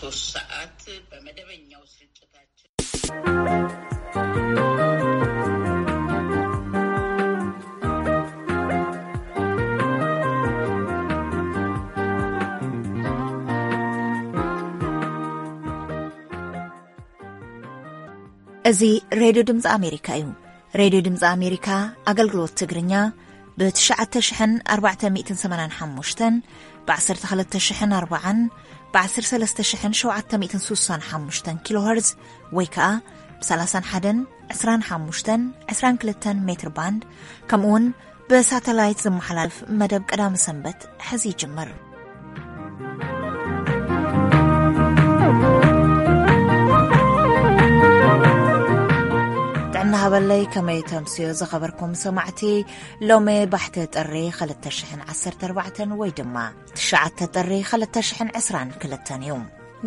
ሶስት ሰዓት በመደበኛው ስርጭታችን። እዚ ሬድዮ ድምፂ ኣሜሪካ እዩ። ሬድዮ ድምፂ ኣሜሪካ ኣገልግሎት ትግርኛ ብ ትሽዓተ ሽሕን ኣርባዕተ ሚእትን ሰማንያን ሓሙሽተን፣ ብ ዓሰርተ ክልተ ሽሕን ኣርባዓን፣ ብ ዓሰርተ ሰለስተ ሽሕን ሸውዓተ ሚእትን ስሳን ሓሙሽተን ኪሎ ሄርዝ ወይ ከዓ ብ ሰላሳን ሓደን፣ ዕስራን ሓሙሽተን፣ ዕስራን ክልተን ሜትር ባንድ፣ ከምኡ እውን ብሳተላይት ዝመሓላለፍ መደብ ቀዳመ ሰንበት ሕዚ ይጅምር። ጥዕና ሃበለይ፣ ከመይ ተምስዮ ዝኸበርኩም ሰማዕቲ? ሎሚ ባሕቲ ጥሪ ክልተ ሽሕን ዓሰርተ ኣርባዕተን ወይ ድማ ትሽዓተ ጥሪ ክልተ ሽሕን ዕስራን ክልተን እዩ።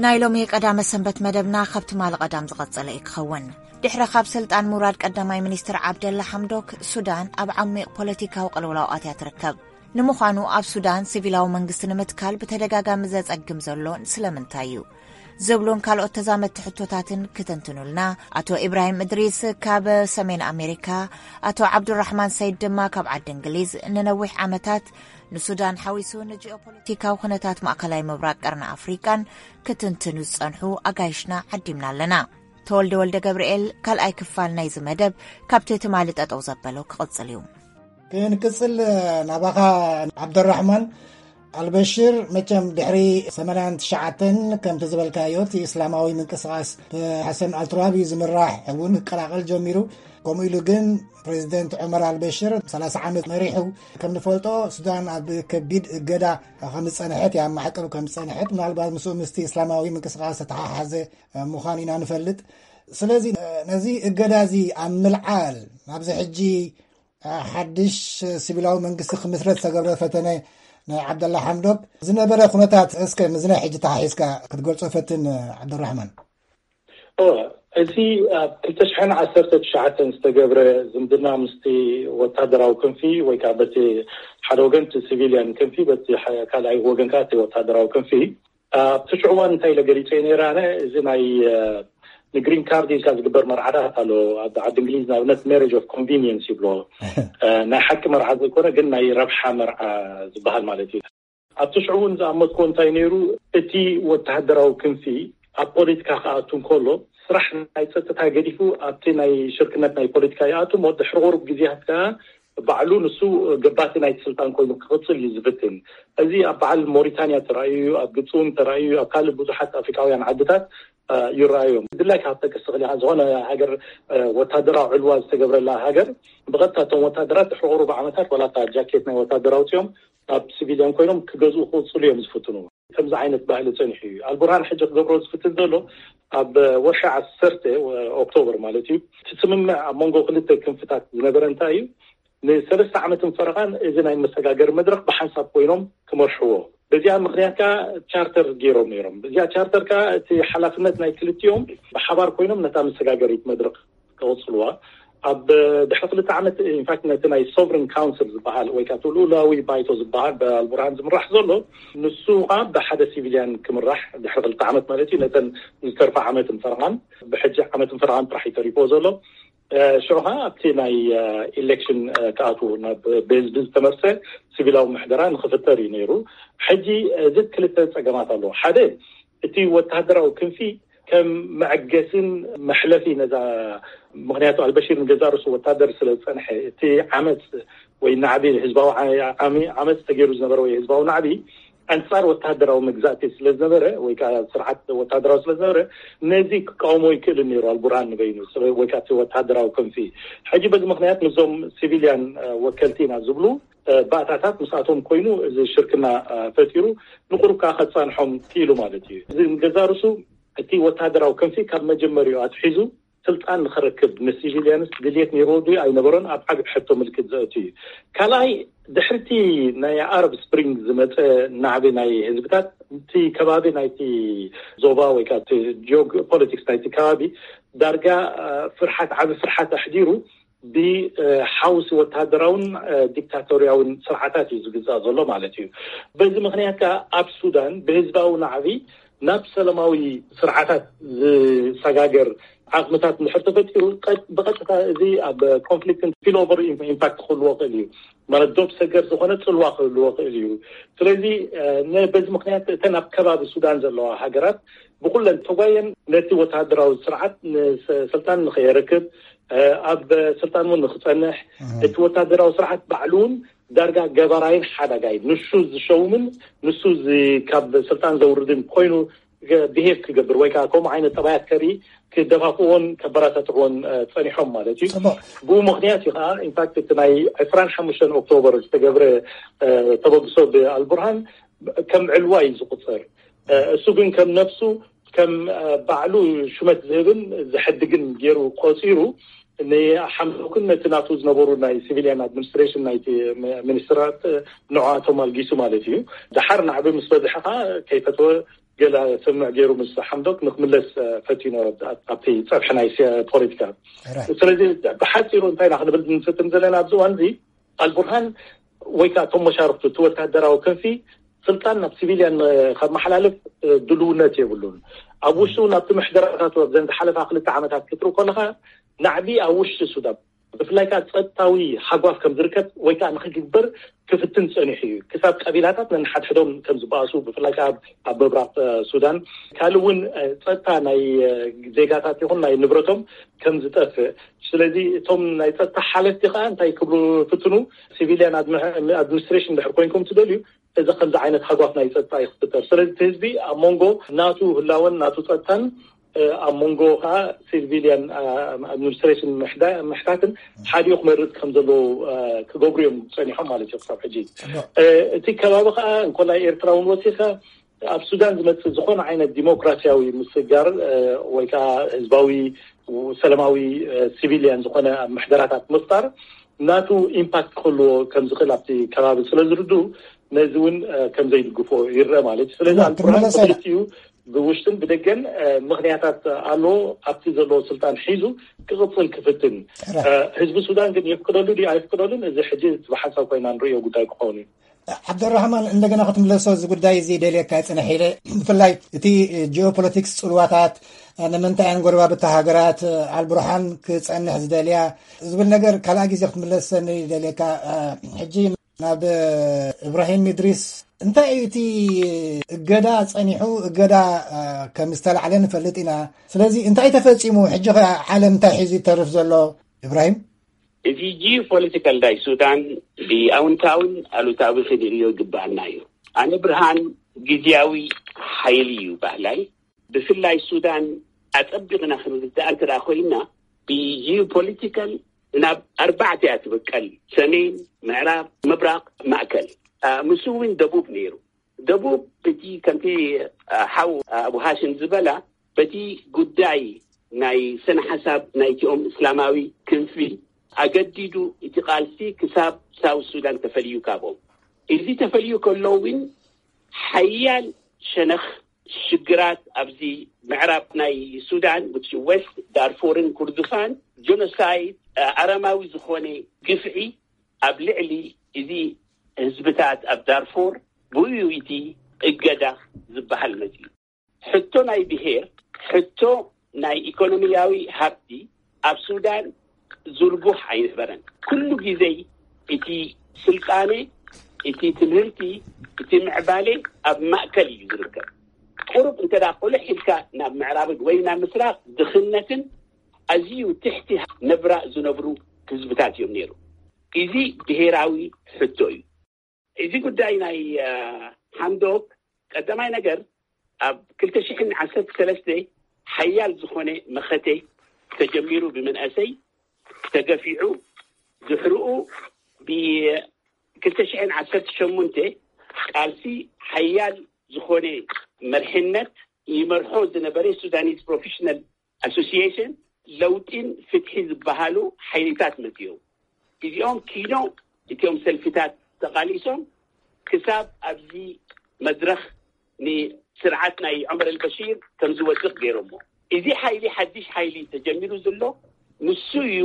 ናይ ሎሚ ቀዳመ ሰንበት መደብና ካብ ትማሊ ቀዳም ዝቐጸለ እዩ ክኸውን። ድሕሪ ካብ ስልጣን ምውራድ ቀዳማይ ሚኒስትር ዓብደላ ሓምዶክ፣ ሱዳን ኣብ ዓሚቕ ፖለቲካዊ ቅልውላው ኣትያ ትርከብ። ንምዃኑ ኣብ ሱዳን ሲቪላዊ መንግስቲ ንምትካል ብተደጋጋሚ ዘጸግም ዘሎ ስለምንታይ እዩ? ዝብሉን ካልኦት ተዛመድቲ ሕቶታትን ክትንትኑልና ኣቶ ኢብራሂም እድሪስ ካብ ሰሜን ኣሜሪካ፣ ኣቶ ዓብዱራሕማን ሰይድ ድማ ካብ ዓዲ እንግሊዝ ንነዊሕ ዓመታት ንሱዳን ሓዊሱ ንጂኦፖለቲካዊ ኩነታት ማእከላይ ምብራቕ፣ ቀርኒ ኣፍሪቃን ክትንትኑ ዝጸንሑ ኣጋይሽና ዓዲምና ኣለና። ተወልደ ወልደ ገብርኤል ካልኣይ ክፋል ናይዚ መደብ ካብቲ ትማሊ ጠጠው ዘበሎ ክቕጽል እዩ። ክንቅጽል ናባኻ ዓብደራሕማን። ኣልበሽር መቸም ድሕሪ ሰማንያን ትሽዓተን ከምቲ ዝበልካዮ እቲ እስላማዊ ምንቅስቓስ ብሓሰን ኣልትራቢ ዝምራሕ እውን ክቀላቐል ጀሚሩ። ከምኡ ኢሉ ግን ፕሬዚደንት ዑመር ኣልበሽር ሰላሳ ዓመት መሪሑ። ከም ንፈልጦ ሱዳን ኣብ ከቢድ እገዳ ከም ዝጸንሐት፣ ኣብ ማዕቀብ ከም ዝጸንሐት፣ ምናልባት ምስኡ ምስቲ እስላማዊ ምንቅስቓስ ዝተሓሓዘ ምዃኑ ኢና ንፈልጥ። ስለዚ ነዚ እገዳ እዚ ኣብ ምልዓል ኣብዚ ሕጂ ሓድሽ ሲቪላዊ መንግስቲ ክምስረት ዝተገብረ ፈተነ ናይ ዓብደላ ሓምዶክ ዝነበረ ኩነታት እስከ ምስዚ ሕጂ ተሓሒዝካ ክትገልጾ ፈትን ዓብደራሕማን። እወ፣ እዚ ኣብ ክልተ ሽሕን ዓሰርተ ትሽዓተን ዝተገብረ ዝምድና ምስቲ ወታደራዊ ክንፊ ወይ ከዓ በቲ ሓደ ወገን እቲ ሲቪልያን ክንፊ፣ በቲ ሐ-፣ ካልኣይ ወገን ከዓ እቲ ወታደራዊ ክንፊ ኣብቲ ሽዑ እዋን እንታይ ኢለ ገሊጸ ነይረ ኣነ፣ እዚ ናይ፣ እ፣ ንግሪን ካርድ ኢልካ ዝግበር መርዓታት ኣሎ ኣብ ዓዲ እንግሊዝ፣ ንኣብነት ሜሬጅ ኦፍ ኮንቪኒየንስ ይብሎ። እ፣ ናይ ሓቂ መርዓ ዘይኮነ ግን ናይ ረብሓ መርዓ ዝበሃል ማለት እዩ። ኣብቲ ሽዑ እውን ዝኣመትኮ እንታይ ነይሩ፣ እቲ ወተሃደራዊ ክንፊ ኣብ ፖለቲካ ክኣቱ እንከሎ ስራሕ ናይ ጸጥታ ገዲፉ ኣብቲ ናይ ሽርክነት ናይ ፖለቲካ ይኣቱ፣ እሞ ድሕሪ ቁሩብ ግዜያት ከኣ ባዕሉ ንሱ ገባቲ ናይቲ ስልጣን ኮይኑ ክቕጽል እዩ ዝፍትን። እዚ ኣብ በዓል ሞሪታንያ ተራእዩ እዩ፣ ኣብ ግብጺ እውን ተራእዩ እዩ፣ ኣብ ካልእ ብዙሓት ኣፍሪቃውያን ዓድታት፣ እ፣ ይረኣዩ እዮም። ድላይ ካብ ጠቅስ ትኽእል ኢኻ፣ ዝኾነ ሃገር፣ እ፣ ወታደራዊ ዕልዋ ዝተገብረላ ሃገር ብቐጥታ እቶም ወታደራት ድሕሪ ቁሩብ ዓመታት ዋላ እታ ጃኬት ናይ ወታደር ኣውጺኦም ኣብ ሲቪልያን ኮይኖም ክገዝኡ ክቕጽሉ እዮም ዝፍትኑ። ከምዚ ዓይነት ባህሊ ጸኒሑ እዩ። ኣልቡርሃን ሕጂ ክገብሮ ዝፍትን ዘሎ ኣብ ወርሒ ዓሰርተ ኦክቶበር ማለት እዩ፣ እቲ ስምምዕ ኣብ መንጎ ክልተ ክንፍታት ዝነበረ እንታይ እዩ? ንሰለስተ ዓመትን ፈረቓን እዚ ናይ መሰጋገሪ መድረኽ ብሓንሳብ ኮይኖም ክመርሕዎ። በዚኣ ምኽንያት ከኣ ቻርተር ገይሮም ነይሮም። እዚኣ ቻርተር ከኣ እቲ ሓላፍነት ናይ ክልቲኦም ብሓባር ኮይኖም ነታ መሰጋገሪት መድረኽ ክቕጽልዋ። ኣብ ድሕሪ ክልተ ዓመት ኢንፋክት ነቲ ናይ ሶቨሪን ካውንስል ዝበሃል ወይ ከዓ እቲ ልኡላዊ ባይቶ ዝበሃል ብኣልቡርሃን ዝምራሕ ዘሎ ንሱ ከዓ ብሓደ ሲቪልያን ክምራሕ ድሕሪ ክልተ ዓመት ማለት እዩ። ነተን ዝተርፋ ዓመትን ፈረቓን ብሕጂ ዓመትን ፈረቓን ጥራሕ እዩ ተሪፍዎ ዘሎ። እ፣ ሽዑ ከዓ ኣብቲ ናይ፣ እ፣ ኢሌክሽን፣ እ፣ ክኣትዉ ናብ ብህዝቢ ዝተመርጸ ሲቪላዊ ምሕደራ ንክፍጠር እዩ ነይሩ። ሕጂ፣ እ፣ እዚ ክልተ ጸገማት ኣለዎ። ሓደ እቲ ወተሃደራዊ ክንፊ ከም መዐገስን መሕለፊ ነዛ፣ ምኽንያቱ ኣልበሺር ንገዛ ርእሱ ወታደር ስለ ዝጸንሐ፣ እቲ ዓመጽ ወይ ናዕቢ ህዝባዊ ዓ-፣ ዓሚ-፣ ዓመጽ ተገይሩ ዝነበረ ወይ ህዝባዊ ናዕቢ ኣንጻር ወተሃደራዊ መግዛእቲ ስለ ዝነበረ ወይ ከዓ ስርዓት ወተሃደራዊ ስለ ዝነበረ፣ ነዚ ክቃወሞ ይክእልን ነይሩ ኣልቡርሃን ንበይኑ፣ ስለ-፣ ወይ ከዓ እቲ ወተሃደራዊ ክንፊ። ሕጂ በዚ ምኽንያት ምስዞም ሲቪልያን፣ እ፣ ወከልቲ ኢና ዝብሉ፣ እ፣ ባእታታት ምስኣቶም ኮይኑ እዚ ሽርክና፣ እ፣ ፈጢሩ ንቁሩብ ከዓ ከጻንሖም ክኢሉ ማለት እዩ። እዚ ንገዛ ርእሱ እቲ ወተሃደራዊ ክንፊ ካብ መጀመሪያኡ ኣትሒዙ ስልጣን ንኽረክብ ንሲቪልያንስ ድልየት ነይርዎ ድዩ ኣይነበሮን ኣብ ዓቢ ሕቶ ምልክት ዘእቱ እዩ። ካልኣይ፣ ድሕርቲ ናይ ኣረብ ስፕሪንግ ዝመጸ ናዕቢ ናይ ህዝብታት፣ እቲ ከባቢ ናይቲ ዞባ ወይ ከዓ እቲ ጂኦ ፖለቲክስ ናይቲ ከባቢ ዳርጋ፣ እ፣ ፍርሓት፣ ዓቢ ፍርሓት ኣሕዲሩ ብ፣ እ፣ ሓውሲ ወተሃደራውን፣ እ፣ ዲክታቶርያውን ስርዓታት እዩ ዝግዛእ ዘሎ ማለት እዩ። በዚ ምኽንያት ከዓ ኣብ ሱዳን ብህዝባዊ ናዕቢ ናብ ሰላማዊ ስርዓታት ዝሰጋገር ዓቕምታት እንድሕር ተፈጢሩ፣ ብቐጥታ እዚ ኣብ ኮንፍሊክት ስፒል ኦቨር ኢምፓክት ክህልዎ ክእል እዩ። ማለት ዶብ ሰገር ዝኾነ ጽልዋ ክህልዎ ክእል እዩ። ስለዚ በዚ ምክንያት እተን ኣብ ከባቢ ሱዳን ዘለዋ ሃገራት ብኩለን ተጓየን ነቲ ወተሃደራዊ ስርዓት ስልጣን ንኸየረክብ፣ ኣብ ስልጣን እውን ንክጸንሕ፣ እቲ ወተሃደራዊ ስርዓት ባዕሉ እውን ዳርጋ ገባራይን ሓዳጋይ ንሱ ዝሸውምን ንሱ ካብ ስልጣን ዘውርድን ኮይኑ ብሄቭ ክገብር ወይ ከዓ ከምኡ ዓይነት ጠባያት ከርኢ ክደፋፍዎን ከበረታትዕዎን ጸኒሖም ማለት እዩ። ብኡ ምክንያት እዩ ከዓ ኢንፋክት እቲ ናይ ዕስራን ሓሙሽተን ኦክቶበር ዝተገብረ ተበግሶ ብኣልቡርሃን ከም ዕልዋ እዩ ዝቁፅር። እሱ ግን ከም ነፍሱ ከም ባዕሉ ሹመት ዝህብን ዝሕድግን ገይሩ ቆፂሩ ንሓምዶክን ነቲ ናቱ ዝነበሩ ናይ ሲቪሊያን ኣድሚኒስትሬሽን ናይቲ ሚኒስትራት ንዕኣቶም ኣልጊሱ ማለት እዩ። ደሓር ናዕቢ ምስ በዝሐ ከዓ ከይፈተወ ገለ ስምምዕ ገይሩ ምስ ሓምዶክ ንክምለስ ፈቲኑ ኣብቲ ፀብሒ ናይ ፖለቲካ። ስለዚ ብሓፂሩ እንታይ ኢና ክንብል ንፍትን ዘለና ኣብዚ እዋን እዚ ኣልቡርሃን ወይ ከዓ እቶም መሻርክቱ እቲ ወታደራዊ ክንፊ ስልጣን ናብ ሲቪልያን ከመሓላልፍ ድልውነት የብሉን። ኣብ ውሽጡ ናብቲ ምሕደራታት ኣብዘን ዝሓለፋ ክልተ ዓመታት ክትርኢ ከለካ ናዕቢ ኣብ ውሽጢ ሱዳን ብፍላይ ከዓ ፀጥታዊ ሓጓፍ ከም ዝርከብ ወይ ከዓ ንክግበር ክፍትን ፀኒሑ እዩ። ክሳብ ቀቢላታት ነንሓድሕዶም ከም ዝበኣሱ ብፍላይ ከዓ ኣብ ምብራቅ ሱዳን ካልእ እውን ፀጥታ ናይ ዜጋታት ይኹን ናይ ንብረቶም ከም ዝጠፍእ። ስለዚ እቶም ናይ ፀጥታ ሓለፍቲ ከዓ እንታይ ክብሉ ፍትኑ፣ ሲቪልያን ኣድሚኒስትሬሽን ድሕር ኮይንኩም ትደልዩ እዚ ከምዚ ዓይነት ሓጓፍ ናይ ፀጥታ እዩ ክፍጠር። ስለዚ እቲ ህዝቢ ኣብ መንጎ ናቱ ህላወን ናቱ ፀጥታን ኣብ መንጎ ከዓ ሲቪልያን ኣድሚኒስትሬሽን ምሕታትን ሓዲኡ ክመርፅ ከም ዘለዎ ክገብሩ እዮም ፀኒሖም ማለት እዩ ክሳብ ሕጂ። እቲ ከባቢ ከዓ እንኮላይ ኤርትራ እውን ወሲካ ኣብ ሱዳን ዝመፅእ ዝኾነ ዓይነት ዲሞክራሲያዊ ምስጋር ወይ ከዓ ህዝባዊ ሰላማዊ ሲቪልያን ዝኾነ ምሕደራታት ምፍጣር ናቱ ኢምፓክት ክህልዎ ከም ዝኽእል ኣብቲ ከባቢ ስለ ዝርድኡ ነዚ እውን ከም ዘይድግፎ ይረአ ማለት እዩ። ስለዚ ኣልቡርሃን ክልቲኡ ብውሽጥን ብደገን ምክንያታት ኣሎ ኣብቲ ዘለዎ ስልጣን ሒዙ ክቕፅል ክፍትን። ህዝቢ ሱዳን ግን የፍቅደሉ ድዩ ኣይፍቅደሉን እዚ ሕጂ ብሓንሳብ ኮይና ንርእዮ ጉዳይ ክኸውን እዩ። ዓብደራህማን እንደገና ክትምለሶ እዚ ጉዳይ እዚ ደልየካ ይፅንሕ ኢለ። ብፍላይ እቲ ጂኦፖለቲክስ ፅልዋታት ንምንታይ እየን ጎረባብቲ ሃገራት ኣልቡርሃን ክፀንሕ ዝደልያ ዝብል ነገር ካልኣ ግዜ ክትምለሰኒ ደልየካ። ሕጂ ናብ እብራሂም ኢድሪስ እንታይ እዩ እቲ እገዳ ፀኒሑ እገዳ ከም ዝተላዕለ ንፈልጥ ኢና። ስለዚ እንታይ ተፈፂሙ ሕጂ ዓለም እንታይ ሒዙ ይተርፍ ዘሎ? እብራሂም እዚ ጂኦፖለቲካል ናይ ሱዳን ብኣውንታውን ኣሉታዊ ክንርእዮ ይግባኣና እዩ። ኣነ ብርሃን ግዝያዊ ሓይሊ እዩ ባህላይ። ብፍላይ ሱዳን ኣጸቢቕና ክንርዳኣ እንተ ኮይና ብጂኦፖለቲካል ናብ ኣርባዕተ እያ ትብቀል፣ ሰሜን፣ ምዕራብ፣ ምብራቕ፣ ማእከል። ምስ እውን ደቡብ ነይሩ። ደቡብ እቲ ከምቲ ሓው ኣቡ ሃሽም ዝበላ በቲ ጉዳይ ናይ ስነ ሓሳብ ናይቲኦም እስላማዊ ክንፊ ኣገዲዱ እቲ ቃልሲ ክሳብ ሳውት ሱዳን ተፈልዩ ካብኦም። እዚ ተፈልዩ ከሎ እውን ሓያል ሸነኽ ሽግራት ኣብዚ ምዕራብ ናይ ሱዳን ዌስት ዳርፎርን ኩርድፋን ጀኖሳይድ ኣረማዊ ዝኾነ ግፍዒ ኣብ ልዕሊ እዚ ህዝብታት ኣብ ዳርፎር ብኡ እቲ እገዳ ዝበሃል መፅዩ። ሕቶ ናይ ብሄር፣ ሕቶ ናይ ኢኮኖሚያዊ ሃብቲ ኣብ ሱዳን ዝርጉሕ ኣይነበረን። ኩሉ ግዜ እቲ ስልጣነ፣ እቲ ትምህርቲ፣ እቲ ምዕባለ ኣብ ማእከል እዩ ዝርከብ። ቁሩብ እንተ ቆልሕ ኢልካ ናብ ምዕራብን ወይ ናብ ምስራቅ ድኽነትን ኣዝዩ ትሕቲ ነብራ ዝነብሩ ህዝብታት እዮም ነይሩ። እዚ ብሄራዊ ሕቶ እዩ። እዚ ጉዳይ ናይ ሓምዶክ ቀዳማይ ነገር ኣብ ክልተ ሽሕን ዓሰርተ ሰለስተ ሓያል ዝኾነ መኸተ ተጀሚሩ ብመንእሰይ ተገፊዑ ድሕርኡ ብክልተ ሽሕን ዓሰርተ ሸሞንተ ቃልሲ ሓያል ዝኾነ መርሕነት ይመርሖ ዝነበረ ሱዳኒዝ ፕሮፌሽናል ኣሶሲሽን ለውጢን ፍትሒ ዝበሃሉ ሓይልታት መፅዮም። እዚኦም ኪኖ እቲኦም ሰልፊታት ተቓሊሶም ክሳብ ኣብዚ መድረኽ ንስርዓት ናይ ዑመር ኣልበሺር ከም ዝወድቕ ገይሮሞ። እዚ ሓይሊ ሓድሽ ሓይሊ ተጀሚሩ ዘሎ ንሱ እዩ።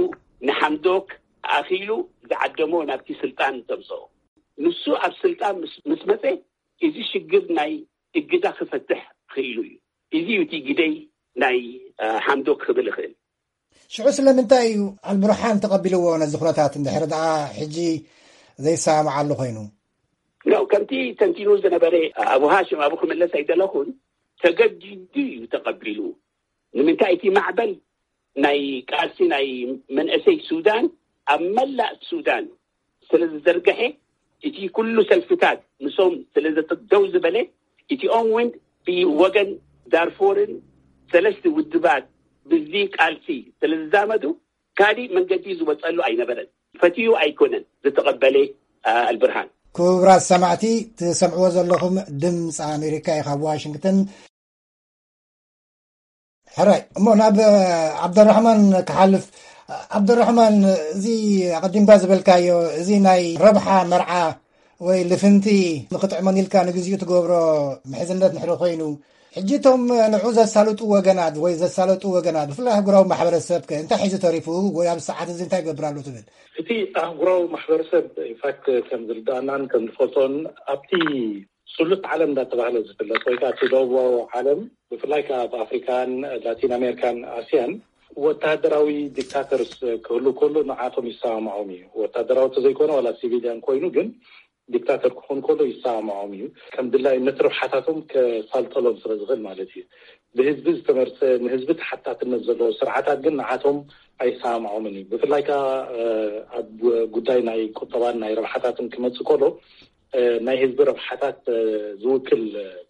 ንሓምዶክ ኣኺሉ ዝዓደሞ ናብቲ ስልጣን ዘምፀኦ ንሱ ኣብ ስልጣን ምስ መፀ እዚ ሽግር ናይ እግዳ ክፈትሕ ኢሉ እዩ። እዚ እዩ እቲ ግደይ ናይ ሓምዶክ ክብል እኽእል። ሽዑ ስለምንታይ እዩ ኣልብርሃን ተቐቢልዎ ነዚ ኩነታት፣ እንድሕር ደኣ ሕጂ ዘይሰማማዓሉ ኮይኑ? ከምቲ ተንቲኑ ዝነበረ ኣቡ ሃሽም ኣብኡ ክምለስ ኣይደለኹን። ተገዲዱ እዩ ተቐቢሉ። ንምንታይ? እቲ ማዕበል ናይ ቃልሲ ናይ መንእሰይ ሱዳን ኣብ መላእ ሱዳን ስለ ዝዘርግሐ፣ እቲ ኩሉ ሰልፍታት ምስኦም ስለ ዘተደው ዝበለ፣ እቲኦም እውን ብወገን ዳርፎርን ሰለስተ ውድባት ብዚ ቃልሲ ስለ ዝዛመዱ፣ ካሊእ መንገዲ ዝወፀሉ ኣይነበረን። ፈትዩ ኣይኮነን ዝተቐበለ ኣልብርሃን። ክቡራት ሰማዕቲ፣ ትሰምዕዎ ዘለኹም ድምፂ ኣሜሪካ እዩ ካብ ዋሽንግተን። ሕራይ እሞ ናብ ዓብደራሕማን ክሓልፍ። ዓብደራሕማን፣ እዚ ኣቐዲምካ ዝበልካዮ፣ እዚ ናይ ረብሓ መርዓ ወይ ልፍንቲ ንክጥዕመን ኢልካ ንግዚኡ ትገብሮ ምሕዝነት ንሕሪ ኮይኑ፣ ሕጂ እቶም ንዑ ዘሳልጡ ወገናት ወይ ዘሳለጡ ወገናት፣ ብፍላይ ኣህጉራዊ ማሕበረሰብ ከ እንታይ ሒዙ ተሪፉ ወይ ኣብ ሰዓት እዚ እንታይ ይገብር ኣሎ ትብል? እቲ ኣህጉራዊ ማሕበረሰብ ኢንፋክት ከም ዝርዳእናን ከም ዝፈልጦን ኣብቲ ስሉጥ ዓለም እንዳተባህለ ዝፍለጥ ወይ ከዓ እቲ ደቡባዊ ዓለም ብፍላይ ከዓ ኣብ ኣፍሪካን ላቲን ኣሜሪካን ኣስያን ወታደራዊ ዲክታተርስ ክህሉ ከሎ ንዓቶም ይሰማማዖም እዩ። ወታደራዊ ተዘይኮነ ዋላ ሲቪሊያን ኮይኑ ግን ዲክታተር ክኾን ከሎ ይሰማማዖም እዩ። ከም ድላይነት ረብሓታቶም ከሳልጠሎም ስለ ዝኽእል ማለት እዩ። ብህዝቢ ዝተመርፀ ንህዝቢ ተሓታትነት ዘለዎ ስርዓታት ግን ንዓቶም ኣይሰማማዖምን እዩ። ብፍላይ ከዓ ኣብ ጉዳይ ናይ ቁጠባን ናይ ረብሓታትን ክመፅእ ከሎ ናይ ህዝቢ ረብሓታት ዝውክል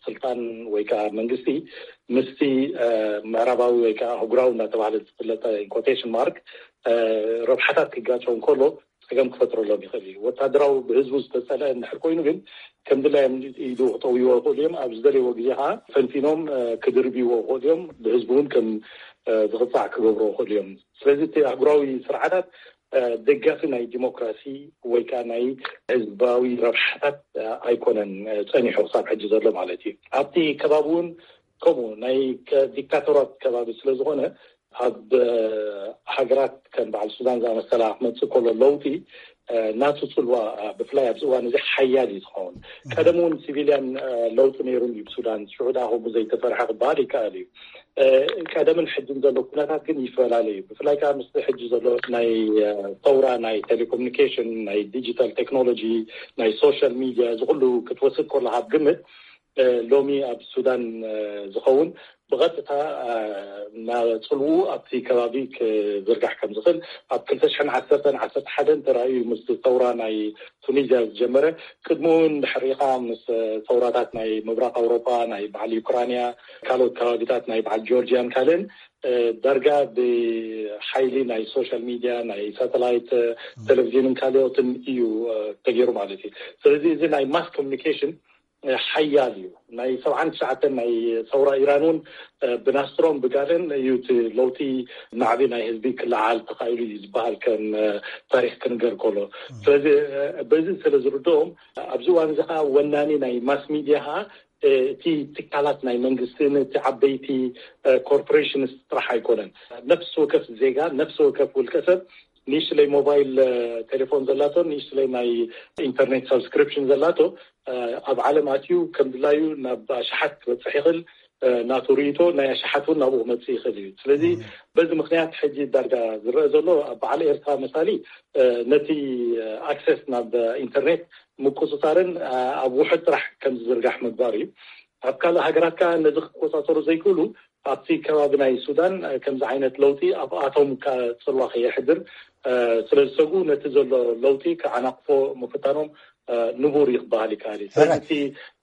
ስልጣን ወይ ከዓ መንግስቲ ምስቲ ምዕራባዊ ወይ ከዓ ኣህጉራዊ እናተባህለ ዝፍለጠ ኢንኮቴሽን ማርክ ረብሓታት ክጋጨው ከሎ ፀገም ክፈጥረሎም ይኽእል እዩ። ወታደራዊ ብህዝቡ ዝተፀልአ እንድሕር ኮይኑ ግን ከም ድላዮም ኢዱ ክጠውይዎ ይኽእሉ እዮም። ኣብ ዝደለይዎ ግዜ ከዓ ፈንቲኖም ክድርብይዎ ይኽእሉ እዮም። ብህዝቡ እውን ከም ዝቕፃዕ ክገብሮ ይኽእሉ እዮም። ስለዚ እቲ ኣህጉራዊ ስርዓታት ደጋፊ ናይ ዲሞክራሲ ወይ ከዓ ናይ ህዝባዊ ረብሓታት ኣይኮነን ፀኒሑ ክሳብ ሕጂ ዘሎ ማለት እዩ። ኣብቲ ከባቢ እውን ከምኡ ናይ ዲክታተራት ከባቢ ስለዝኾነ ኣብ ሃገራት ከም በዓል ሱዳን ዝኣመሰላ ክመፅእ ከሎ ለውጢ ናቱ ፅልዋ ብፍላይ ኣብዚ እዋን እዚ ሓያል እዩ ዝኸውን። ቀደም እውን ሲቪልያን ለውጢ ነይሩ እዩ ብሱዳን፣ ሽዑ ደኣ ከምኡ ዘይተሰርሐ ክበሃል ይከኣል እዩ። ቀደምን ሕጅን ዘሎ ኩነታት ግን ይፈላለ እዩ። ብፍላይ ከዓ ምስ ሕጂ ዘሎ ናይ ሰውራ ናይ ቴሌኮሙኒኬሽን፣ ናይ ዲጂታል ቴክኖሎጂ፣ ናይ ሶሻል ሚድያ፣ እዚ ኩሉ ክትወስድ ከሎ ካብ ግምት ሎሚ ኣብ ሱዳን ዝኸውን ብቐጥታ ናብ ፅልኡ ኣብቲ ከባቢ ክዝርጋሕ ከም ዝኽእል ኣብ ክልተ ሽሕን ዓሰርተን ዓሰርተ ሓደን ተራእዩ ምስ ሰውራ ናይ ቱኒዝያ ዝጀመረ፣ ቅድሚ እውን ድሕሪኻ ምስ ሰውራታት ናይ ምብራቕ ኣውሮጳ ናይ በዓል ዩክራንያ ካልኦት ከባቢታት ናይ በዓል ጆርጂያን ካልእን ዳርጋ ብሓይሊ ናይ ሶሻል ሚድያ ናይ ሳተላይት ቴሌቪዥንን ካልኦትን እዩ ተገይሩ ማለት እዩ። ስለዚ እዚ ናይ ማስ ኮሚኒኬሽን ሓያል እዩ። ናይ ሰብዓን ትሽዓተን ናይ ሰውራ ኢራን እውን ብናስትሮም ብጋለን እዩ እቲ ለውጢ ናዕቢ ናይ ህዝቢ ክለዓል ተኻኢሉ እዩ ዝበሃል ከም ታሪክ ክንገር ከሎ። ስለዚ በዚ ስለ ዝርድኦም ኣብዚ እዋን እዚ ከዓ ወናኒ ናይ ማስ ሚድያ ከዓ እቲ ትካላት ናይ መንግስትን እቲ ዓበይቲ ኮርፖሬሽንስ ጥራሕ ኣይኮነን። ነፍሲ ወከፍ ዜጋ፣ ነፍሲ ወከፍ ውልቀ ሰብ ንእሽለይ ሞባይል ቴሌፎን ዘላቶ፣ ንእሽለይ ናይ ኢንተርኔት ሳብስክሪፕሽን ዘላቶ ኣብ ዓለም ኣትዩ ከም ድላዩ ናብ ኣሽሓት ክበፅሕ ይኽእል። ናቱ ርእቶ ናይ ኣሽሓት እውን ናብኡ ክመፅእ ይኽእል እዩ። ስለዚ በዚ ምክንያት ሕጂ ዳርጋ ዝረአ ዘሎ ኣብ በዓል ኤርትራ መሳሊ ነቲ ኣክሰስ ናብ ኢንተርኔት ምቁፅፃርን ኣብ ውሑድ ጥራሕ ከም ዝዝርጋሕ ምግባር እዩ። ኣብ ካልእ ሃገራት ከዓ ነዚ ክቆፃፀሩ ዘይክእሉ ኣብቲ ከባቢ ናይ ሱዳን ከምዚ ዓይነት ለውጢ ኣብኣቶም ከዓ ፅልዋ ከየሕድር ስለ ዝሰጉ ነቲ ዘሎ ለውጢ ክዓናቕፎ ምፍታኖም ንቡር እዩ ክበሃል ይከኣል እዩ። ስለዚ እቲ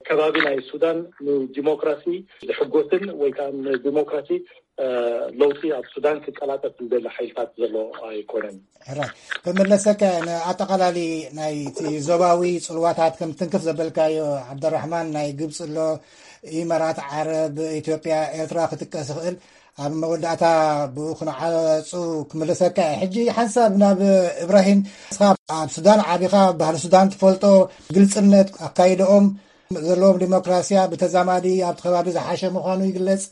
ከባቢ ናይ ሱዳን ንዲሞክራሲ ዝሕጎስን ወይ ከዓ ንዲሞክራሲ ለውጢ ኣብ ሱዳን ክቀላጠፍ ዝደሊ ሓይልታት ዘሎ ኣይኮነን። ሕራይ ክምለሰካ ንኣጠቓላሊ ናይቲ ዞባዊ ፅልዋታት ከም ትንክፍ ዘበልካዮ ዓብደራሕማን፣ ናይ ግብፂ ኣሎ፣ ኢመራት ዓረብ፣ ኢትዮጵያ፣ ኤርትራ ክጥቀስ ይኽእል። ኣብ መወዳእታ ብኡ ክንዓፁ ክምለሰካ እየ። ሕጂ ሓንሳብ ናብ እብራሂም፣ ንስኻ ኣብ ሱዳን ዓቢኻ፣ ባህሊ ሱዳን ትፈልጦ፣ ግልፅነት ኣካይደኦም ዘለዎም ዲሞክራሲያ ብተዛማዲ ኣብቲ ከባቢ ዝሓሸ ምዃኑ ይግለጽ።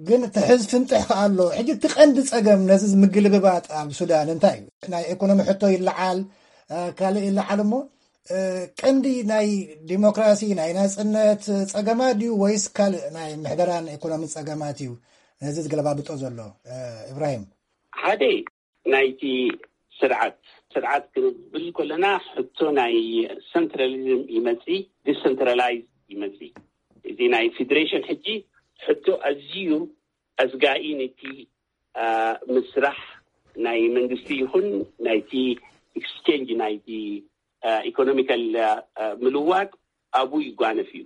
ግን ትሕዝ ፍንጥሕ ከኣ ኣሎ። ሕጂ እቲ ቀንዲ ጸገም ነዚ ምግልብባጥ ኣብ ሱዳን እንታይ እዩ? ናይ ኢኮኖሚ ሕቶ ይለዓል፣ ካልእ ይለዓል እሞ ቀንዲ ናይ ዲሞክራሲ፣ ናይ ናጽነት ጸገማት ድዩ ወይስ ካልእ ናይ ምሕደራን ኢኮኖሚ ጸገማት እዩ ነዚ ዝገለባብጦ ዘሎ? ኢብራሂም። ሓደ ናይቲ ስርዓት ስርዓት ክንብል ከለና ሕቶ ናይ ሰንትራሊዝም ይመጽእ፣ ዲሰንትራላይዝ ይመጽእ። እዚ ናይ ፌዴሬሽን ሕጂ ሕቶ ኣዝዩ ኣስጋኢ ነቲ ምስራሕ ናይ መንግስቲ ይኹን ናይቲ ኤክስቼንጅ ናይቲ ኢኮኖሚካል ምልዋጥ ኣብኡ ይጓነፍ እዩ።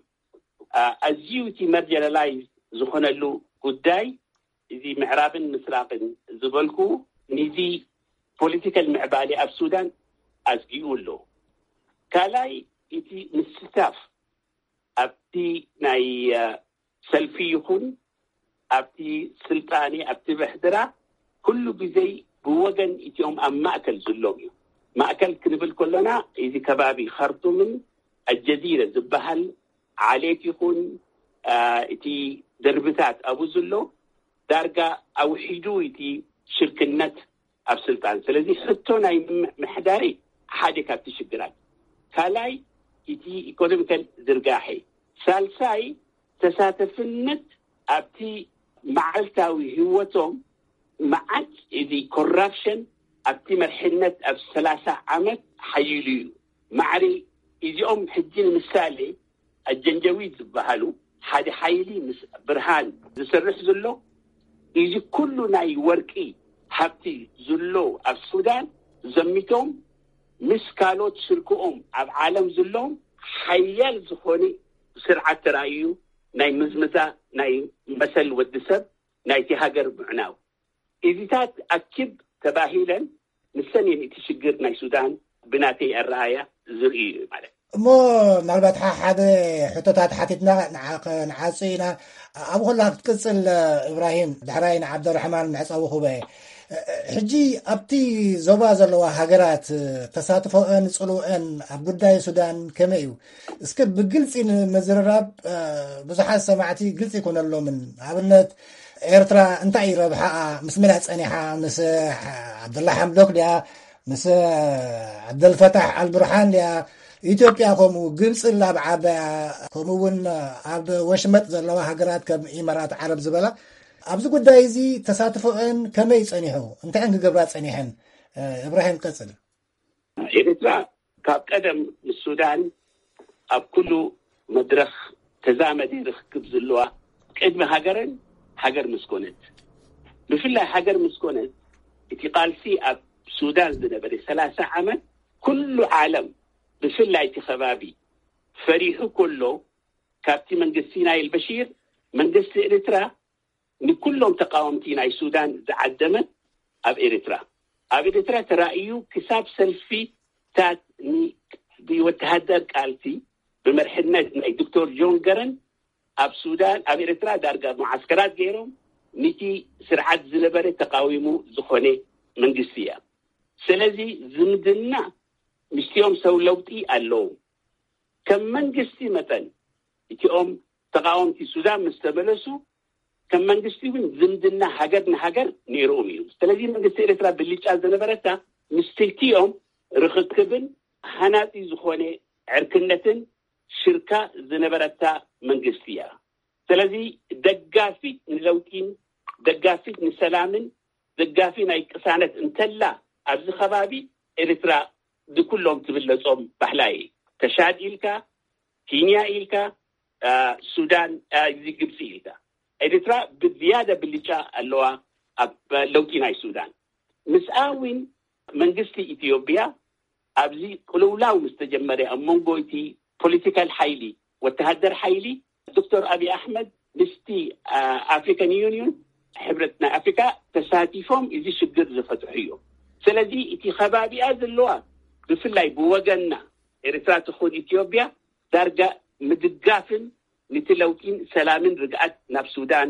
ኣዝዩ እቲ መርጀናላይዝ ዝኾነሉ ጉዳይ እዚ ምዕራብን ምስራቅን ዝበልኩ ንዚ ፖለቲካል ምዕባሌ ኣብ ሱዳን ኣስጊኡ ኣሎ። ካልኣይ እቲ ምስታፍ ኣብቲ ናይ ሰልፊ ይኹን ኣብቲ ስልጣኔ ኣብቲ ምሕደራ ኩሉ ግዜ ብወገን እቲኦም ኣብ ማእከል ዝሎም እዩ። ማእከል ክንብል ከሎና እዚ ከባቢ ካርቱምን ኣልጀዚረ ዝበሃል ዓሌት ይኹን እቲ ደርብታት ኣብኡ ዝሎ ዳርጋ ኣውሒዱ እቲ ሽርክነት ኣብ ስልጣን። ስለዚ ሕቶ ናይ ምሕዳሪ ሓደ ካብቲ ሽግራት፣ ካልኣይ እቲ ኢኮኖሚካል ዝርጋሐ፣ ሳልሳይ ተሳተፍነት ኣብቲ መዓልታዊ ህይወቶም። መዓት እዚ ኮራፕሽን ኣብቲ መርሕነት ኣብ ሰላሳ ዓመት ሓይሉ እዩ። ማዕሪ እዚኦም ሕጂ ንምሳሌ ኣጀንጀዊድ ዝበሃሉ ሓደ ሓይሊ ምስ ብርሃን ዝሰርሕ ዘሎ፣ እዚ ኩሉ ናይ ወርቂ ሃብቲ ዝሎ ኣብ ሱዳን ዘሚቶም ምስ ካልኦት ሽርክኦም ኣብ ዓለም ዝሎም ሓያል ዝኾነ ስርዓት ተራእዩ ናይ ምዝምዛ ናይ መሰል ወዲ ሰብ ናይቲ ሃገር ምዕናው። እዚታት ኣኪብ ተባሂለን ንሰን እየን እቲ ሽግር ናይ ሱዳን ብናተይ ኣረኣያ ዝርእዩ እዩ ማለት። እሞ ምናልባት ሓደ ሕቶታት ሓቲትና ንዓፁ ኢና። ኣብ ኩላ ክትቅፅል ኢብራሂም፣ ዳሕራይ ንዓብደራሕማን መዕፀዊ ክበ ሕጂ ኣብቲ ዞባ ዘለዋ ሃገራት ተሳትፎአን ፅልወአን ኣብ ጉዳይ ሱዳን ከመይ እዩ? እስከ ብግልፂ ንምዝርራብ ብዙሓት ሰማዕቲ ግልፂ ይኮነሎምን። ኣብነት ኤርትራ እንታይ እዩ ረብሓኣ? ምስ መን እያ ጸኒሓ? ምስ ዓብደላ ሓምዶክ ድያ? ምስ ዓብደልፈታሕ ኣልብርሃን ድያ? ኢትዮጵያ ከምኡ፣ ግብጺ ላብ ዓባያ፣ ከምኡ እውን ኣብ ወሽመጥ ዘለዋ ሃገራት ከም ኢማራት ዓረብ ዝበላ ኣብዚ ጉዳይ እዚ ተሳትፎአን ከመይ ጸኒሑ? እንታይ እየን ክገብራ ጸኒሐን? እብራሂም ቀጽል። ኤርትራ ካብ ቀደም ምስ ሱዳን ኣብ ኩሉ መድረኽ ተዛመደ ርክብ ዘለዋ ቅድሚ ሃገረን ሃገር ምስ ኮነት። ብፍላይ ሃገር ምስ ኮነት እቲ ቃልሲ ኣብ ሱዳን ዝነበረ ሰላሳ ዓመት ኩሉ ዓለም ብፍላይ እቲ ከባቢ ፈሪሑ ከሎ ካብቲ መንግስቲ ናይ ኣልበሺር መንግስቲ ኤርትራ ንኩሎም ተቃወምቲ ናይ ሱዳን ዝዓደመት ኣብ ኤርትራ ኣብ ኤርትራ ተራእዩ ክሳብ ሰልፊታት ብወተሃደር ቃልሲ ብመርሕነት ናይ ዶክተር ጆን ገረን ኣብ ሱዳን ኣብ ኤርትራ ዳርጋ መዓስከራት ገይሮም ንቲ ስርዓት ዝነበረ ተቃዊሙ ዝኾነ መንግስቲ እያ። ስለዚ ዝምድና ምስቲኦም ሰብ ለውጢ ኣለዎም። ከም መንግስቲ መጠን እቲኦም ተቃወምቲ ሱዳን ምስ ተመለሱ ከም መንግስቲ እውን ዝምድና ሃገር ንሃገር ነይርኦም እዩ። ስለዚ መንግስቲ ኤርትራ ብልጫ ዝነበረታ ምስ ክልቲኦም ርኽክብን ሃናጺ ዝኾነ ዕርክነትን ሽርካ ዝነበረታ መንግስቲ እያ። ስለዚ ደጋፊት ንለውጢን ደጋፊት ንሰላምን ደጋፊ ናይ ቅሳነት እንተላ ኣብዚ ከባቢ ኤርትራ ንኩሎም ትብለጾም ባህላ እየ። ተሻድ ኢልካ፣ ኪንያ ኢልካ፣ ሱዳን፣ እዚ ግብፂ ኢልካ። ኤርትራ ብዝያደ ብልጫ ኣለዋ ኣብ ለውጢ ናይ ሱዳን። ምስኣ እውን መንግስቲ ኢትዮጵያ ኣብዚ ቅልውላው ምስ ተጀመረ ኣብ መንጎ እቲ ፖለቲካል ሓይሊ ወተሃደር ሓይሊ ዶክተር ኣብይ ኣሕመድ ምስቲ ኣፍሪካን ዩኒዮን ሕብረት ናይ ኣፍሪካ ተሳቲፎም እዚ ሽግር ዝፈትሑ እዮም። ስለዚ እቲ ከባቢኣ ዘለዋ ብፍላይ ብወገንና ኤርትራ ትኹን ኢትዮጵያ ዳርጋ ምድጋፍን ንቲ ለውጢን ሰላምን ርግኣት ናብ ሱዳን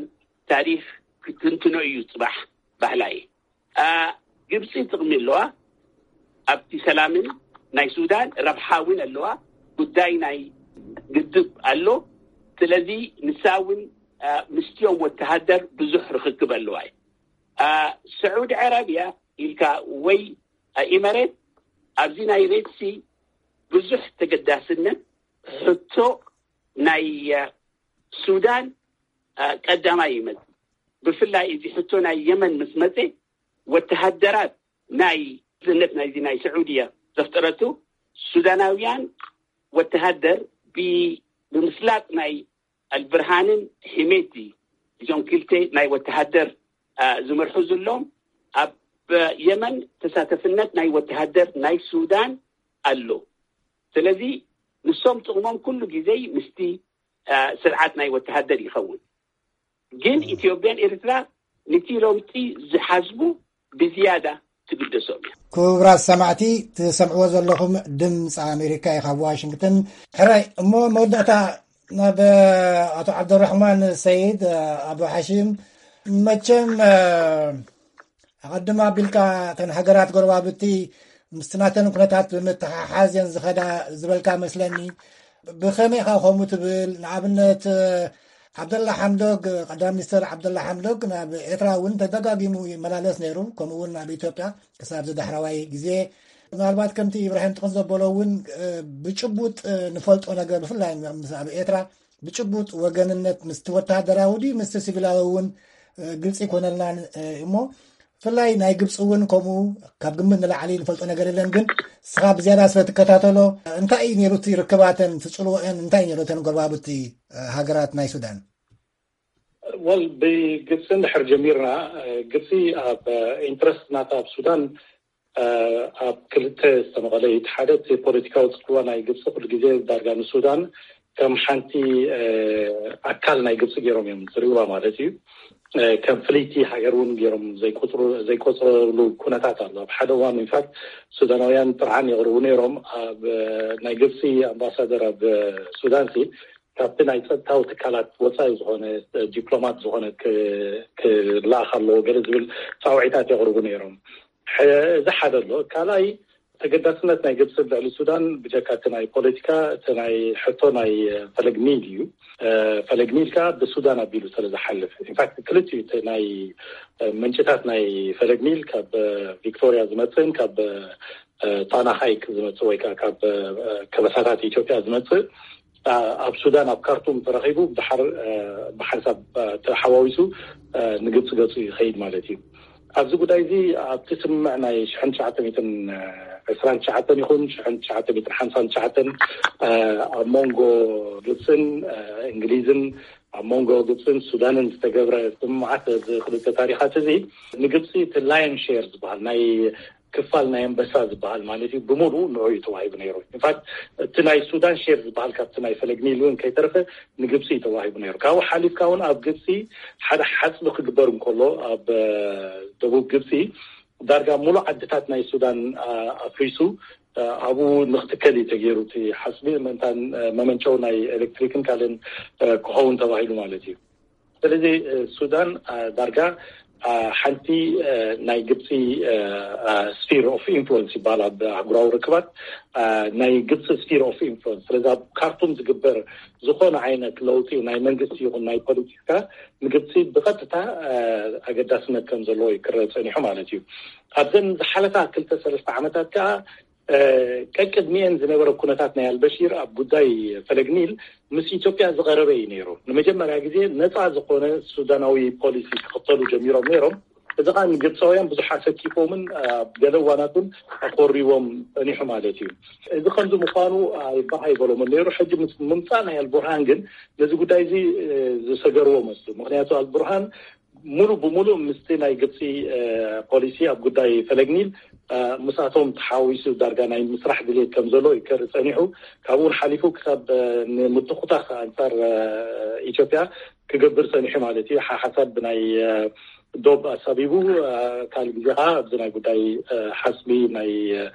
ታሪክ ክትንትኖ እዩ ፅባሕ ባህላ እየ። ግብፂ ጥቕሚ ኣለዋ ኣብቲ ሰላምን ናይ ሱዳን ረብሓ እውን ኣለዋ። ጉዳይ ናይ ግድብ ኣሎ። ስለዚ ንሳ እውን ምስቲኦም ወተሃደር ብዙሕ ርክክብ ኣለዋ እዩ። ስዑዲ ዓረብያ ኢልካ ወይ ኢመሬት ኣብዚ ናይ ሬድሲ ብዙሕ ተገዳስነት ሕቶ ናይ ሱዳን ቀዳማይ ይመጽእ። ብፍላይ እዚ ሕቶ ናይ የመን ምስ መጸ፣ ወተሃደራት ናይ ዝነት ናይዚ ናይ ስዑድያ ዘፍጠረቱ፣ ሱዳናውያን ወተሃደር ብምስላጥ ናይ ኣልብርሃንን ሒሜቲ፣ እዞም ክልተ ናይ ወተሃደር ዝመርሑ ዘለዎም፣ ኣብ የመን ተሳተፍነት ናይ ወተሃደር ናይ ሱዳን ኣሎ። ስለዚ ንሶም ጥቕሞም ኩሉ ግዜ ምስቲ ስርዓት ናይ ወተሃደር ይኸውን። ግን ኢትዮጵያን ኤርትራ ንቲ ለውጢ ዝሓስቡ ብዝያዳ ትግደሶም እዮም። ክቡራት ሰማዕቲ፣ ትሰምዕዎ ዘለኹም ድምፂ ኣሜሪካ እዩ ካብ ዋሽንግተን። ሕራይ እሞ መወዳእታ ናብ ኣቶ ዓብደራሕማን ሰይድ፣ ኣቡ ሓሺም፣ መቸም ኣቐድም ኣቢልካ እተን ሃገራት ጎረባብቲ ምስቲ ናተን ኩነታት ብምትሓሓዝ እየን ዝኸዳ ዝበልካ መስለኒ። ብኸመይ ኢኻ ከምኡ ትብል? ንኣብነት ዓብደላ ሓምዶግ፣ ቀዳም ሚኒስተር ዓብደላ ሓምዶግ ናብ ኤርትራ እውን ተደጋጊሙ ይመላለስ ነይሩ፣ ከምኡ እውን ናብ ኢትዮጵያ ክሳብ ዝዳሕረዋይ ግዜ። ምናልባት ከምቲ ኢብራሂም ጥቕስ ዘበሎ እውን ብጭቡጥ ንፈልጦ ነገር፣ ብፍላይ ምስ ኣብ ኤርትራ ብጭቡጥ ወገንነት ምስቲ ወተሃደራዊ ድዩ ምስቲ ሲቪላዊ እውን ግልፂ ይኮነልናን እሞ፣ ብፍላይ ናይ ግብፂ እውን ከምኡ ካብ ግምት ንላዕሊ ንፈልጦ ነገር የለን። ግን ንስኻ ብዝያዳ ስለ ትከታተሎ፣ እንታይ እዩ ነይሩ እቲ ርክባተን፣ እቲ ፅልወአን እንታይ እዩ ነይሩ እተን ጎረባብቲ ሃገራት ናይ ሱዳን? ወል ብግብፂ እንድሕር ጀሚርና፣ ግብፂ ኣብ ኢንትረስት ናታ ኣብ ሱዳን ኣብ ክልተ ዝተመቐለ እዩ። እቲ ሓደ እቲ ፖለቲካዊ ፅልዋ ናይ ግብፂ ኩሉ ግዜ ዳርጋ ንሱዳን ከም ሓንቲ ኣካል ናይ ግብፂ ገይሮም እዮም ዝሪእዋ ማለት እዩ። ከም ፍልይቲ ሃገር እውን ገይሮም ዘይቆፅሩ ዘይቆፅረሉ ኩነታት ኣሎ። ኣብ ሓደ እዋን ኢንፋክት ሱዳናውያን ጥርዓን የቕርቡ ነይሮም። ኣብ ናይ ግብፂ ኣምባሳደር ኣብ ሱዳን ሲ ካብቲ ናይ ፀጥታዊ ትካላት ወፃኢ ዝኾነ ዲፕሎማት ዝኾነ ክለኣኽ ኣለዎ ገለ ዝብል ፃውዒታት የቕርቡ ነይሮም። እዚ ሓደ ኣሎ። ካልኣይ ተገዳስነት ናይ ግብፂ ልዕሊ ሱዳን ብጀካ እቲ ናይ ፖለቲካ እቲ ናይ ሕቶ ናይ ፈለግ ኒል እዩ። ፈለግ ኒል ከዓ ብሱዳን ኣቢሉ ስለ ዝሓልፍ ኢንፋክት ክልቲኡ እቲ ናይ ምንጭታት ናይ ፈለግ ኒል ካብ ቪክቶሪያ ዝመፅእን ካብ ጣና ሃይክ ዝመፅእ ወይ ከዓ ካብ ከበሳታት ኢትዮጵያ ዝመፅእ ኣብ ሱዳን ኣብ ካርቱም ተረኺቡ ብድሓር ብሓንሳብ ተሓዋዊሱ ንግብፂ ገፁ ይኸይድ ማለት እዩ። ኣብዚ ጉዳይ እዚ ኣብቲ ስምምዕ ናይ ሽሕን ትሽዓተ ሚእትን ዕስራን ትሽዓተን ይኹን ሽሕን ትሽዓተ ሚእትን ሓምሳን ትሽዓተን ኣብ መንጎ ግብፅን እንግሊዝን ኣብ መንጎ ግብፅን ሱዳንን ዝተገብረ ስምምዓት እዚ ክልተ ታሪኻት እዚ ንግብፂ እቲ ላየን ሼር ዝበሃል ናይ ክፋል ናይ ኣንበሳ ዝበሃል ማለት እዩ ብሙሉ ንዑ እዩ ተዋሂቡ ነይሩ። ኢንፋክት እቲ ናይ ሱዳን ሼር ዝበሃል ካብቲ ናይ ፈለግ ኒል እውን ከይተረፈ ንግብፂ እዩ ተዋሂቡ ነይሩ። ካብኡ ሓሊፍካ እውን ኣብ ግብፂ ሓደ ሓፅቢ ክግበር እንከሎ ኣብ ደቡብ ግብፂ ዳርጋ ሙሉ ዓድታት ናይ ሱዳን ኣፍሪሱ ኣብኡ ንክትከል እዩ ተገይሩ እቲ ሓፅቢ ምእንታን መመንጨው ናይ ኤሌክትሪክን ካልእን ክኸውን ተባሂሉ ማለት እዩ። ስለዚ ሱዳን ዳርጋ ሓንቲ ናይ ግብፂ ስፊር ኦፍ ኢንፍሉንስ ይበሃል ኣብ ኣህጉራዊ ርክባት ናይ ግብፂ ስፊር ኦፍ ኢንፍሉንስ። ስለዚ ኣብ ካርቱም ዝግበር ዝኾነ ዓይነት ለውጢ ናይ መንግስቲ ይኹን ናይ ፖለቲካ ንግብፂ ብቐጥታ ኣገዳስነት ከም ዘለዎ ይክረ ፀኒሑ ማለት እዩ። ኣብዘን ዝሓለፋ ክልተ ሰለስተ ዓመታት ከዓ ቀቅድሚኤን ዝነበረ ኩነታት ናይ ኣልበሺር ኣብ ጉዳይ ፈለግ ኒል ምስ ኢትዮጵያ ዝቐረበ እዩ ነይሩ። ንመጀመርያ ግዜ ነፃ ዝኾነ ሱዳናዊ ፖሊሲ ክኽተሉ ጀሚሮም ነይሮም። እዚ ከዓ ንግብፃውያን ብዙሕ ኣሰኪፎምን ኣብ ገለ እዋናት እውን ኣኮሪዎም ፀኒሑ ማለት እዩ። እዚ ከምዚ ምኳኑ ኣይበሃ ኣይበሎምን ነይሩ። ሕጂ ምስ ምምፃእ ናይ ኣልቡርሃን ግን ነዚ ጉዳይ እዚ ዝሰገርዎ መስሉ። ምክንያቱ ኣልቡርሃን ሙሉ ብሙሉ ምስቲ ናይ ግብፂ ፖሊሲ ኣብ ጉዳይ ፈለግ ኒል ምስኣቶም ተሓዊሱ ዳርጋ ናይ ምስራሕ ድሌት ከም ዘሎ ይከር ፀኒሑ ካብኡ ሓሊፉ ክሳብ ንምትኩታኽ ኣንፃር ኢትዮጵያ ክገብር ፀኒሑ ማለት እዩ። ሓሓሳብ ብናይ ዶብ ኣሳቢቡ ካልእ ግዜ ከዓ ኣብዚ ናይ ጉዳይ ሓስቢ ናይ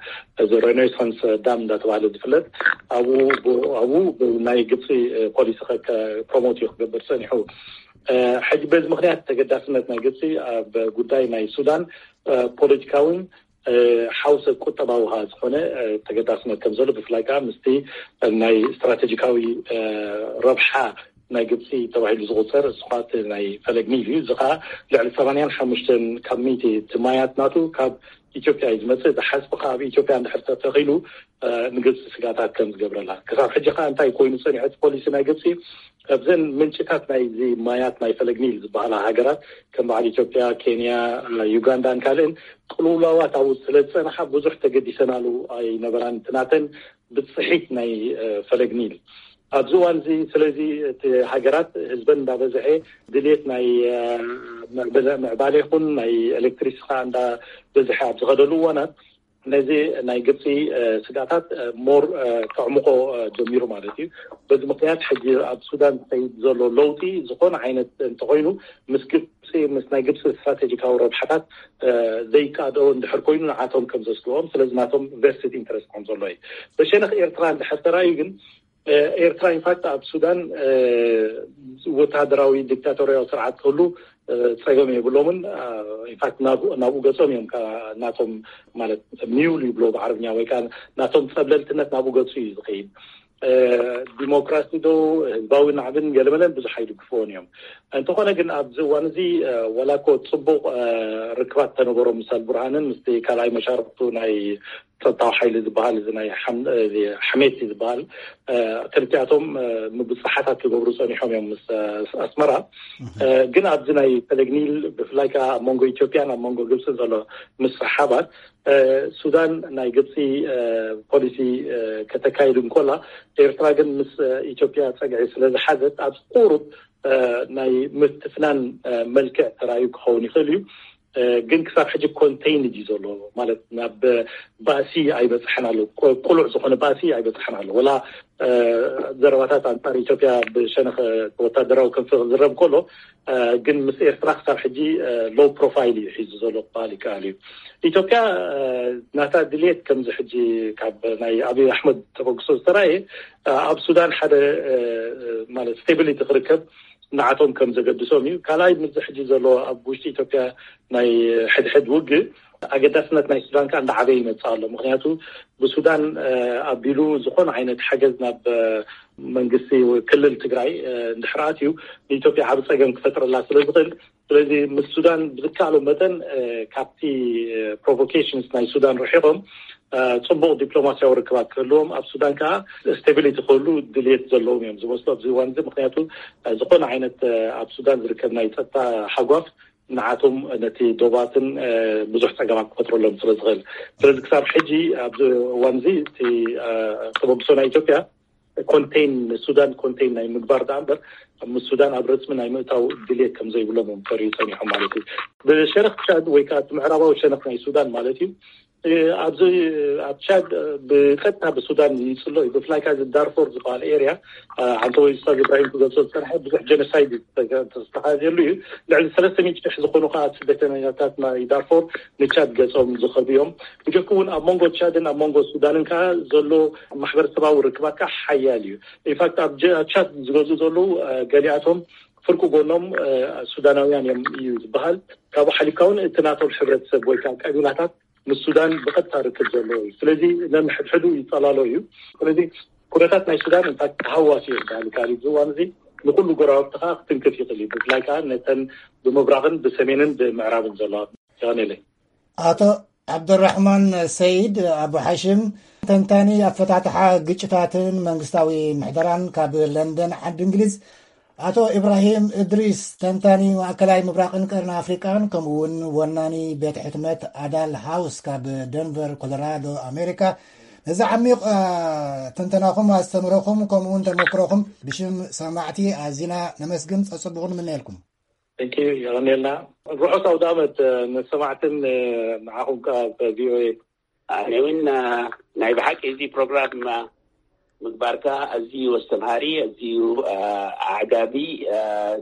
እዚ ሬኔሳንስ ዳም እንዳተባሃለ ዝፍለጥ ኣብኡ ናይ ግብፂ ፖሊሲ ፕሮሞት እዩ ክገብር ፀኒሑ። ሕጂ በዚ ምክንያት ተገዳስነት ናይ ግብፂ ኣብ ጉዳይ ናይ ሱዳን ፖለቲካውን ሓውሰ ቁጠባዊ ከዓ ዝኾነ ተገዳስነት ከም ዘሎ ብፍላይ ከዓ ምስቲ ናይ ስትራቴጂካዊ ረብሓ ናይ ግብፂ ተባሂሉ ዝቁፀር፣ እዚ ኸዓ እቲ ናይ ፈለግ ኒል እዩ። እዚ ኸዓ ልዕሊ ሰማንያን ሓሙሽተን ካብ ሚእቲ እቲ ማያት ናቱ ካብ ኢትዮጵያ እዩ ዝመፅእ። እዚ ሓዝቢ ኸዓ ኣብ ኢትዮጵያ እንድሕር ተተኺሉ፣ እ፣ ንግብፂ ስጋታት ከም ዝገብረላ። ክሳብ ሕጂ ኸዓ እንታይ ኮይኑ ፀኒሑ እቲ ፖሊሲ ናይ ግብፂ? ኣብዘን ምንጭታት ናይዚ ማያት ናይ ፈለግ ኒል ዝበሃላ ሃገራት ከም በዓል ኢትዮጵያ፣ ኬንያ፣ ዩጋንዳን ካልእን ቅልውላዋት ኣብኡ ስለ ዝጸንሓ ብዙሕ ተገዲሰናሉ ኣይነበራን። እቲ ናተን ብጽሒት ናይ፣ እ፣ ፈለግ ኒል ኣብዚ እዋን እዚ። ስለዚ እቲ ሃገራት ህዝበን እንዳበዝሐ ድሌት ናይ፣ እ፣ ምዕብለ-፣ ምዕባለ ይኹን ናይ ኤሌክትሪክስ ኸዓ እንዳበዝሐ ኣብ ዝኸደሉ እዋናት ነዚ ናይ ግብፂ፣ እ፣ ስጋታት፣ እ፣ ሞር፣ እ፣ ከዕምቆ፣ እ፣ ጀሚሩ ማለት እዩ። በዚ ምክንያት ሕጂ ኣብ ሱዳን ዝኸይድ ዘሎ ለውጢ ዝኾነ ዓይነት እንተኾይኑ ምስ ግብፂ፣ ምስ ናይ ግብፂ ስትራቴጂካዊ ረብሓታት፣ እ፣ ዘይቃደኦ እንድሕር ኮይኑ ንዓቶም ከም ዘስግኦም፣ ስለዚ ናቶም ቨስትድ ኢንተረስት ከም ዘሎ እዩ። በሸነኽ ኤርትራ እንድሕር ተራእዩ ግን፣ እ፣ ኤርትራ ኢንፋክት ኣብ ሱዳን፣ እ፣ ወታደራዊ ዲክታቶርያዊ ስርዓት ክህሉ፣ እ፣ ጸገም የብሎምን። እ፣ ኢንፋክት ናብኡ፣ ናብኡ ገጾም እዮም፣ ከ-፣ ናቶም ማለት ሚውል ይብሎ ብዓረብኛ፣ ወይ ከኣ ናቶም ጸብለልትነት ናብኡ ገጹ እዩ ዝኸይድ። እ፣ ዲሞክራሲ ዶ ህዝባዊ ናዕብን ገለመለን ብዙሕ ኣይድግፍዎን እዮም። እንተኾነ ግን ኣብዚ እዋን እዚ፣ እ፣ ዋላ እኮ ጽቡቕ፣ እ፣ ርክባት ተነበሮም ምስ ኣልቡርሃንን ምስቲ ካልኣይ መሻርክቱ ናይ ጸጥታዊ ሓይሊ ዝበሃል፣ እዚ ናይ ሓም-፣ እዚ ሓሜቲ ዝበሃል፣ እ፣ ክልቲኣቶም፣ እ፣ ምብጽሓታት ክገብሩ ጸኒሖም እዮም ምስ፣ እ፣ ኣስመራ። እህ። እ፣ ግን ኣብዚ ናይ ፈለግ ኒል ብፍላይ ከኣ ኣብ መንጎ ኢትዮጵያን ኣብ መንጎ ግብጽን ዘሎ ምስሕሓባት፣ እ፣ ሱዳን ናይ ግብጺ፣ እ፣ ፖሊሲ፣ እ፣ ከተካይድ እንኮላ፣ ኤርትራ ግን ምስ፣ እ፣ ኢትዮጵያ ጸግዒ ስለ ዝሓዘት ኣብ ቁሩብ፣ እ፣ ናይ ምትፍናን፣ እ፣ መልክዕ ተራእዩ ክኸውን ይኽእል እዩ። እ፣ ግን ክሳብ ሕጂ ኮንቴይንድ እዩ ዘሎ፣ ማለት ናብ ባእሲ ኣይበጽሐን ኣሎ። ቁ-፣ ቁሉዕ ዝኾነ ባእሲ ኣይበጽሐን ኣሎ። ወላ፣ እ፣ ዘረባታት ኣንጻር ኢትዮጵያ ብሸነኽ ወታደራዊ ክንፊ ክዝረብ ከሎ፣ እ፣ ግን ምስ ኤርትራ ክሳብ ሕጂ፣ እ፣ ሎው ፕሮፋይል እዩ ሒዙ ዘሎ ክበሃል ይከኣል እዩ። ኢትዮጵያ፣ እ፣ ናታ ድልየት ከምዚ ሕጂ ካብ ናይ ኣብይ ኣሕመድ ተበግሶ ዝተራእየ፣ እ፣ ኣብ ሱዳን ሓደ፣ እ፣ ማለት ስቴቢሊቲ ክርከብ ንዓቶም ከም ዘገድሶም እዩ። ካልኣይ፣ ምስዚ ሕጂ ዘሎ ኣብ ውሽጢ ኢትዮጵያ ናይ ሕድሕድ ውግእ ኣገዳስነት ናይ ሱዳን ከኣ እንዳዓበየ ይመጽእ ኣሎ። ምኽንያቱ ብሱዳን፣ እ፣ ኣቢሉ ዝኾነ ዓይነት ሓገዝ ናብ፣ እ፣ መንግስቲ ወይ ክልል ትግራይ፣ እ፣ እንድሕር ኣትዩ ንኢትዮጵያ ዓቢ ጸገም ክፈጥረላ ስለ ዝኽእል፣ ስለዚ ምስ ሱዳን ብዝከኣሎም መጠን፣ እ፣ ካብቲ፣ እ፣ ፕሮቮኬሽንስ ናይ ሱዳን ርሒቖም፣ እ፣ ጽቡቕ ዲፕሎማስያዊ ርክባት ክህልዎም፣ ኣብ ሱዳን ከኣ ስቴቢሊቲ ክህሉ ድልየት ዘለዎም እዮም ዝመስሉ ኣብዚ እዋን እዚ። ምኽንያቱ፣ እ፣ ዝኾነ ዓይነት፣ እ፣ ኣብ ሱዳን ዝርከብ ናይ ጸጥታ ሓጓፍ ንዓቶም ነቲ ዶባትን፣ እ፣ ብዙሕ ጸገማት ክፈጥረሎም ስለ ዝኽእል። ስለዚ ክሳብ ሕጂ ኣብዚ እዋን እዚ እቲ፣ እ፣ ተበግሶ ናይ ኢትዮጵያ ኮንቴን፣ ሱዳን ኮንቴን ናይ ምግባር ደኣ እምበር፣ ምስ ሱዳን ኣብ ረጽሚ ናይ ምእታው ድልየት ከም ዘይብሎም እዮም ተሪኡ ጸኒሖም ማለት እዩ። ብሸነኽ ቻድ ወይ ከኣ እቲ ምዕራባዊ ሸነኽ ናይ ሱዳን ማለት እዩ። እ፣ ኣብዚ ኣብ ቻድ፣ እ፣ ብቀጥታ ብሱዳን ይጽሎ እዩ። ብፍላይ ከኣ እዚ ዳርፎር ዝበሃል ኤርያ፣ እ፣ ሓንቲ ወይ ኡስታዝ ኢብራሂም ክገልጾ ዝጸንሐ ብዙሕ ጀኖሳይድ ዝተገ-፣ ዝተኻየደሉ እዩ። ልዕሊ ሰለስተ ሚእቲ ሽሕ ዝኾኑ ከኣ ስደተኛታት ናይ ዳርፎር ንቻድ ገጾም ዝኸዱ እዮም። ብጀክ እውን ኣብ መንጎ ቻድን ኣብ መንጎ ሱዳንን ከኣ ዘሎ ማሕበረሰባዊ ርክባት ከኣ ሓያል እዩ። ኢንፋክት ኣብ ጀ-፣ ኣብ ቻድ ዝገዝኡ ዘለዉ፣ እ፣ ገሊኣቶም ፍርቂ ጎኖም፣ እ፣ ሱዳናውያን እዮም እዩ ዝበሃል። ካብኡ ሓሊፍካ እውን እቲ ናቶም ሕብረተሰብ ወይ ከኣ ቀቢላታት ምስ ሱዳን ብቐጥታ ርክብ ዘለዎ እዩ። ስለዚ ነንሕድሕዱ ይጸላሎ እዩ። ስለዚ ኩነታት ናይ ሱዳን እንታይ ተሃዋሲ እዩ ዝበሃል ይከኣል እዩ። እዚ እዋን እዚ ንኹሉ ጎረባብቲ ከኣ ክትንክፍ ይኽእል እዩ። ብፍላይ ከኣ ነተን ብምብራቕን ብሰሜንን ብምዕራብን ዘለዋ። የቐንየለይ። ኣቶ ዓብደራሕማን ሰይድ ኣቡ ሓሽም፣ ተንታኒ ኣፈታትሓ ግጭታትን መንግስታዊ ምሕደራን ካብ ለንደን ዓዲ እንግሊዝ። ኣቶ ኢብራሂም እድሪስ፣ ተንታኒ ማእከላይ ምብራቕን ቀርኒ ኣፍሪቃን፣ ከምኡ እውን ወናኒ ቤት ሕትመት ኣዳል ሃውስ ካብ ደንቨር ኮሎራዶ ኣሜሪካ፣ ነዚ ዓሚቕ፣ እ፣ ትንተናኹም፣ ኣስተምህሮኹም፣ ከምኡ እውን ተመክሮኹም ብሽም ሰማዕቲ ኣዚና ነመስግን፣ ጸጽቡቑ ንምነየልኩም። Thank you፣ የቐንየልና። ርሑስ ኣውደ ዓመት፣ እ፣ ንሰማዕትን፣ እ፣ ንዓኹም ከኣ ብ ቪ ኦ ኤ። ኣነ እውን፣ እ፣ ናይ ብሓቂ እዚ ፕሮግራም፣ እ፣ ምግባርካ ኣዝዩ ኣስተምሃሪ፣ ኣዝዩ፣ እ፣ ኣዕጋቢ፣ እ፣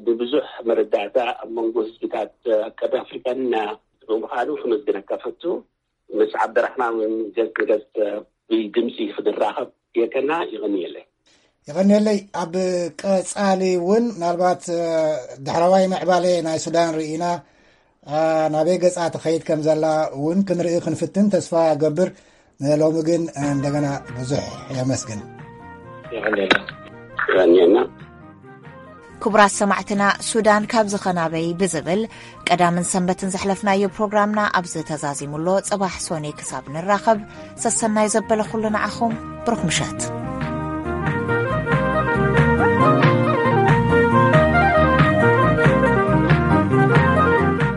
ንብዙሕ መረዳእታ ኣብ መንጎ ህዝብታት፣ እ፣ ቀርኒ ኣፍሪካን፣ እ፣ ብምዃኑ ክመስግነካ ፈቱ። ምስ ዓብደራሕማን እውን ገጽ ንገጽ፣ እ፣ ብድምጺ ክንራኸብ ጌርካና፣ የቐንየለይ። የቐንየለይ። ኣብ ቀጻሊ እውን ምናልባት፣ እ፣ ዳሕረዋይ ምዕባለ ናይ ሱዳን ርኢና፣ እ፣ ናበይ ገጻ ትኸይድ ከም ዘላ እውን ክንርኢ ክንፍትን ተስፋ እገብር። ንሎሚ ግን እንደገና ብዙሕ የመስግን። የቐንየልና። የቐንየልና። ክቡራት ሰማዕትና፣ ሱዳን ካብ ዝኸናበይ ብዝብል ቀዳምን ሰንበትን ዘሕለፍናዮ ፕሮግራምና ኣብዚ ተዛዚሙ ኣሎ። ጽባሕ ሶኔ ክሳብ ንራኸብ፣ ሰሰናዩ ዘበለ ኩሉ ንዓኹም። ብሩኽ ምሸት።